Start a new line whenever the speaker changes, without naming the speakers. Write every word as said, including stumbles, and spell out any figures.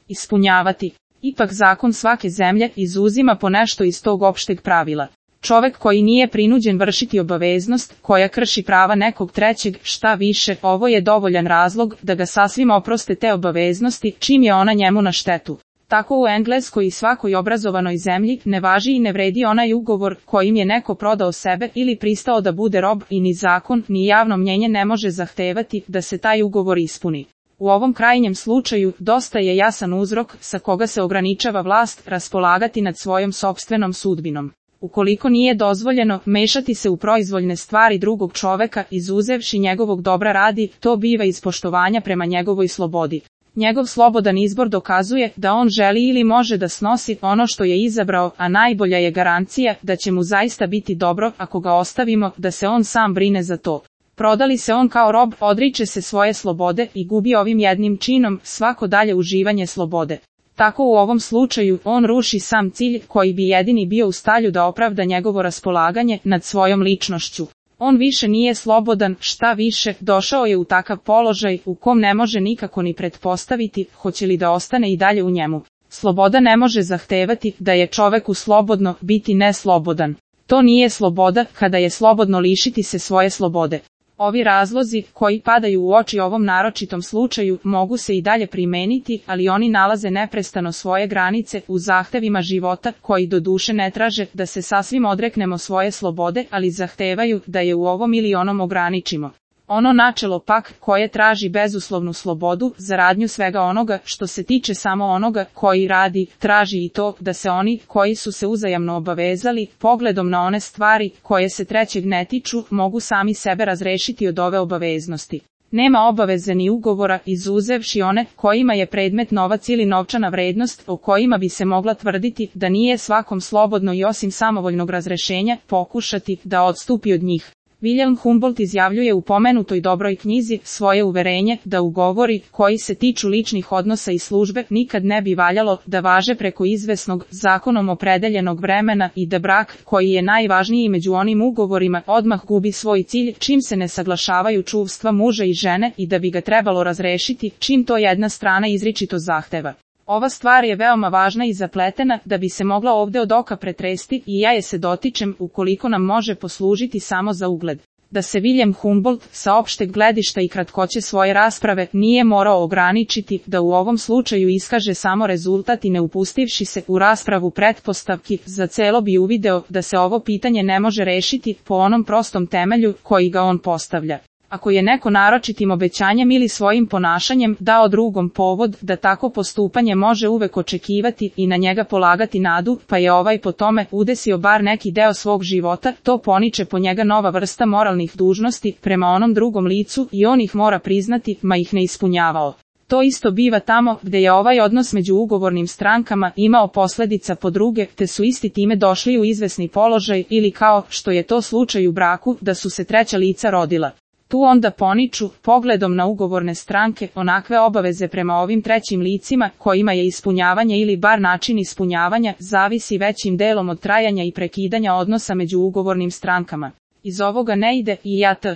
ispunjavati. Ipak zakon svake zemlje izuzima po nešto iz tog opšteg pravila. Čovek koji nije prinuđen vršiti obaveznost, koja krši prava nekog trećeg, šta više, ovo je dovoljan razlog da ga sasvim oproste te obaveznosti, čim je ona njemu na štetu. Tako u Engleskoj i svakoj obrazovanoj zemlji ne važi i ne vredi onaj ugovor kojim je neko prodao sebe ili pristao da bude rob i ni zakon ni javno mnjenje ne može zahtevati da se taj ugovor ispuni. U ovom krajnjem slučaju dosta je jasan uzrok sa koga se ograničava vlast raspolagati nad svojom sopstvenom sudbinom. Ukoliko nije dozvoljeno mešati se u proizvoljne stvari drugog čoveka izuzevši njegovog dobra radi, to biva iz poštovanja prema njegovoj slobodi. Njegov slobodan izbor dokazuje da on želi ili može da snosi ono što je izabrao, a najbolja je garancija da će mu zaista biti dobro ako ga ostavimo da se on sam brine za to. Prodali se on kao rob, odriče se svoje slobode i gubi ovim jednim činom svako dalje uživanje slobode. Tako u ovom slučaju on ruši sam cilj koji bi jedini bio u stanju da opravda njegovo raspolaganje nad svojom ličnošću. On više nije slobodan, šta više, došao je u takav položaj u kom ne može nikako ni pretpostaviti hoće li da ostane i dalje u njemu. Sloboda ne može zahtevati da je čoveku slobodno biti neslobodan. To nije sloboda kada je slobodno lišiti se svoje slobode. Ovi razlozi, koji padaju u oči ovom naročitom slučaju, mogu se i dalje primeniti, ali oni nalaze neprestano svoje granice u zahtevima života, koji do duše ne traže da se sasvim odreknemo svoje slobode, ali zahtevaju da je u ovom ili onom ograničimo. Ono načelo pak, koje traži bezuslovnu slobodu za radnju svega onoga što se tiče samo onoga koji radi, traži i to da se oni koji su se uzajamno obavezali, pogledom na one stvari koje se trećeg ne tiču, mogu sami sebe razrešiti od ove obaveznosti. Nema obaveze ni ugovora izuzevši one kojima je predmet novac ili novčana vrednost o kojima bi se mogla tvrditi da nije svakom slobodno i osim samovoljnog razrešenja pokušati da odstupi od njih. William Humboldt izjavljuje u pomenutoj dobroj knjizi svoje uverenje da ugovori koji se tiču ličnih odnosa i službe nikad ne bi valjalo da važe preko izvesnog, zakonom opredeljenog vremena i da brak, koji je najvažniji među onim ugovorima, odmah gubi svoj cilj čim se ne saglašavaju čuvstva muža i žene i da bi ga trebalo razrešiti čim to jedna strana izričito zahteva. Ova stvar je veoma važna i zapletena da bi se mogla ovde od oka pretresti i ja je se dotičem ukoliko nam može poslužiti samo za ugled. Da se William Humboldt sa opšteg gledišta i kratkoće svoje rasprave nije morao ograničiti da u ovom slučaju iskaže samo rezultat i ne upustivši se u raspravu pretpostavki, za celo bi uvideo da se ovo pitanje ne može rešiti po onom prostom temelju koji ga on postavlja. Ako je neko naročitim obećanjem ili svojim ponašanjem dao drugom povod da tako postupanje može uvek očekivati i na njega polagati nadu, pa je ovaj po tome udesio bar neki deo svog života, to poniče po njega nova vrsta moralnih dužnosti prema onom drugom licu i on ih mora priznati, ma ih ne ispunjavao. To isto biva tamo gde je ovaj odnos među ugovornim strankama imao posledica po druge, te su isti time došli u izvesni položaj ili kao što je to slučaj u braku, da su se treća lica rodila. Tu onda poniču, pogledom na ugovorne stranke, onakve obaveze prema ovim trećim licima, kojima je ispunjavanje ili bar način ispunjavanja, zavisi većim delom od trajanja i prekidanja odnosa među ugovornim strankama. Iz ovoga ne ide i ja t.